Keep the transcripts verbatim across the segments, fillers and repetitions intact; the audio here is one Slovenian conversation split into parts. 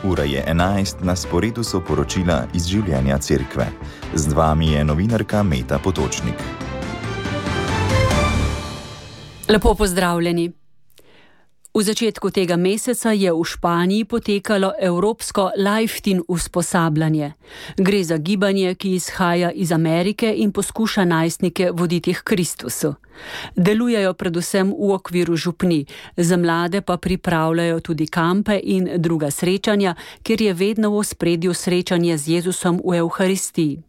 Ura je enajst, na sporedu so poročila iz življenja cerkve. Z vami je novinarka Meta Potočnik. Lepo pozdravljeni. V začetku tega meseca je v Španiji potekalo evropsko Life-Teen usposabljanje. Gre za gibanje, ki izhaja iz Amerike in poskuša najstnike voditi k Kristusu. Delujejo predvsem v okviru župnij, za mlade pa pripravljajo tudi kampe in druga srečanja, kjer je vedno v ospredju srečanje z Jezusom v Evharistiji.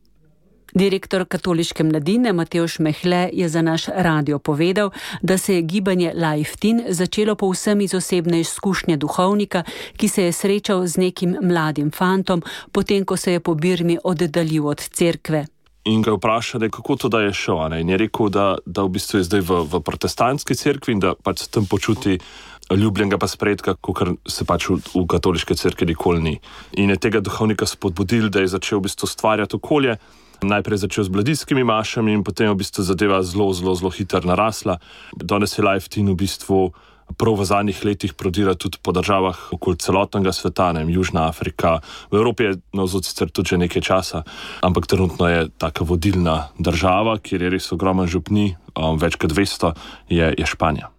Direktor katoliške mladine Matevž Mehle je za naš radio povedal, da se je gibanje Life-Teen začelo povsem iz osebne izkušnje duhovnika, ki se je srečal z nekim mladim fantom, potem ko se je po Birmi oddaljil od cerkve. In ga vprašali, kako to da je šel. Ne? In je rekel, da, da v bistvu je zdaj v, v protestantski cerkvi in da pač se tam počuti ljubljenega pa sprejetka, kakor se pač v, v katoliške cerkvi nikoli ni. In je tega duhovnika spodbudil, da je začel v bistvu stvarjati okolje. Najprej začel z mladinskimi mašami in potem v bistvu zadeva zelo, zelo, zelo hitro narasla. Danes je Life-Teen v bistvu prav v zadnjih letih prodira tudi po državah okoli celotnega sveta, ne, Južna Afrika. V Evropi je navzod sicer tudi že nekaj časa, ampak trenutno je taka vodilna država, kjer je res ogromen župni, um, več kot dvesto, je, je Španija.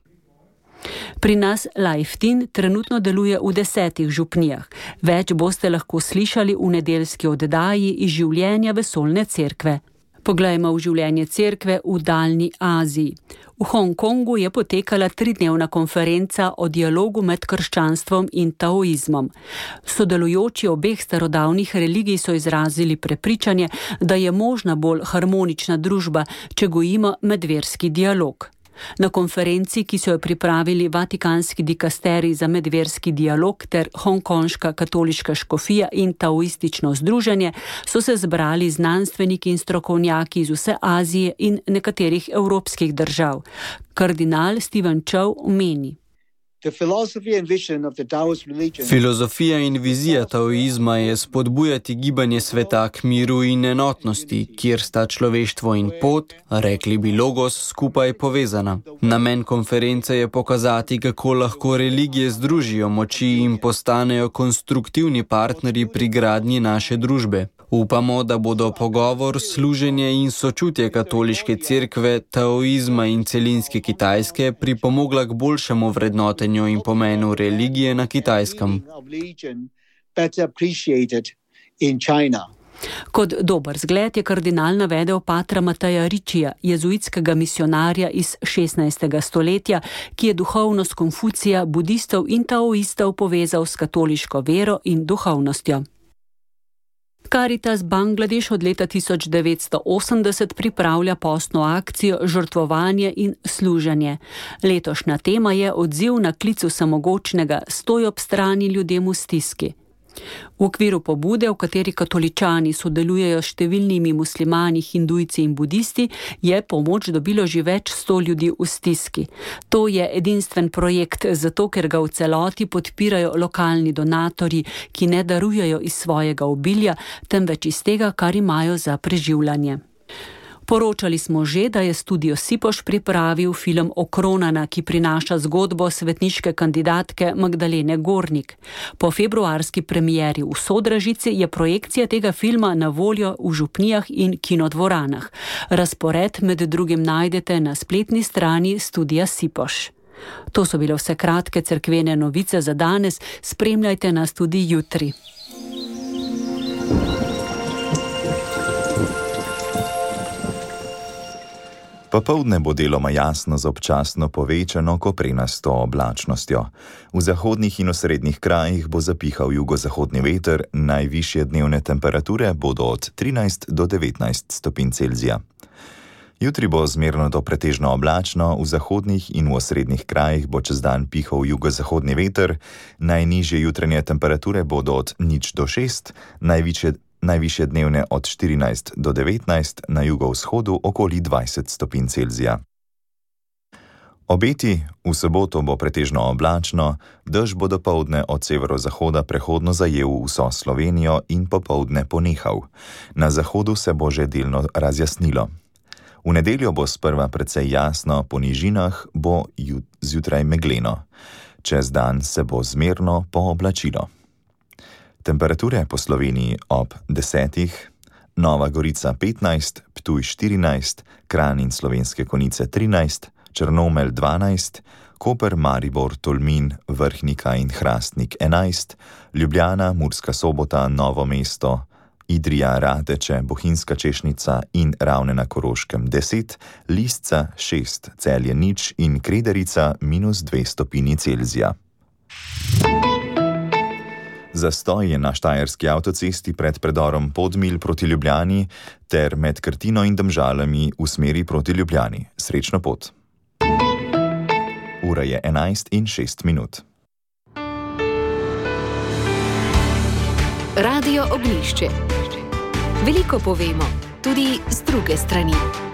Pri nas Life-Teen trenutno deluje v desetih župnijah. Več boste lahko slišali v nedeljski oddaji iz življenja vesoljne cerkve. Poglejmo v življenje cerkve v daljni Aziji. V Hongkongu je potekala tridnevna konferenca o dialogu med krščanstvom in taoizmom. Sodelujoči obeh starodavnih religij so izrazili prepričanje, da je možna bolj harmonična družba, če gojimo medverski dialog. Na konferenci, ki so jo pripravili Vatikanski dikasterij za medverski dialog ter Hongkonška katoliška škofija in taoistično združenje, so se zbrali znanstveniki in strokovnjaki iz vse Azije in nekaterih evropskih držav. Kardinal Stephen Chow meni: Filozofija in vizija taoizma je spodbujati gibanje sveta k miru in enotnosti, kjer sta človeštvo in pot, rekli bi logos, skupaj povezana. Namen konference je pokazati, kako lahko religije združijo moči in postanejo konstruktivni partnerji pri gradnji naše družbe. Upamo, da bodo pogovor, služenje in sočutje katoliške cerkve, taoizma in celinske Kitajske pripomogla k boljšemu vrednotenju in pomenu religije na Kitajskem. Kot dober zgled je kardinal navedel patra Mateja Ričija, jezuitskega misionarja iz šestnajstega stoletja, ki je duhovnost Konfucija, budistov in taoistov povezal s katoliško vero in duhovnostjo. Caritas Bangladeš od leta tisoč devetsto osemdeset pripravlja postno akcijo Žrtvovanje in služenje. Letošnja tema je odziv na klic vsemogočnega Stoj ob strani ljudem v stiski. V okviru pobude, v kateri katoličani sodelujejo s številnimi muslimani, hindujci in budisti, je pomoč dobilo že več sto ljudi v stiski. To je edinstven projekt, zato ker ga v celoti podpirajo lokalni donatorji, ki ne darujejo iz svojega obilja, temveč iz tega, kar imajo za preživljanje. Poročali smo že, da je studio Sipoš pripravil film Okronana, ki prinaša zgodbo svetniške kandidatke Magdalene Gornik. Po februarski premieri v Sodražici je projekcija tega filma na voljo v župnijah in kinodvoranah. Razpored med drugim najdete na spletni strani studia Sipoš. To so bile vse kratke cerkvene novice za danes, spremljajte nas tudi jutri. Popoldne bo deloma jasno z občasno povečano koprenasto oblačnostjo. V zahodnih in osrednjih krajih bo zapihal jugozahodni veter, najvišje dnevne temperature bodo od trinajst do devetnajst stopinj Celzija. Jutri bo zmerno do pretežno oblačno, v zahodnih in v osrednjih krajih bo čez dan pihal jugozahodni veter, najnižje jutranje temperature bodo od nič do šest, najvišje Najvišje dnevne od štirinajst do devetnajst, na jugovzhodu okoli dvajset stopinj Celzija. Obeti: v soboto bo pretežno oblačno, dež bo dopoldne od severozahoda prehodno zajel vso Slovenijo in popoldne ponehal. Na zahodu se bo že delno razjasnilo. V nedeljo bo sprva precej jasno, po nižinah bo zjutraj megleno. Čez dan se bo zmerno pooblačilo. Temperature po Sloveniji ob desetih, Nova Gorica petnajst, Ptuj štirinajst, Kranj in Slovenske Konjice trinajst, Črnomelj dvanajst, Koper, Maribor, Tolmin, Vrhnika in Hrastnik enajst, Ljubljana, Murska Sobota, Novo mesto, Idrija, Radeče, Bohinjska Češnica in Ravne na Koroškem deset, Lisca šest, Celje nič in Krederica minus dve stopinji Celzija. Zastoj je na štajerski avtocesti pred predorom Podmilj proti Ljubljani ter med Krtino in Domžalami v smeri proti Ljubljani. Srečno pot. Ura je enajst in šest minut. Radio Oglišče. Veliko povemo, tudi z druge strani.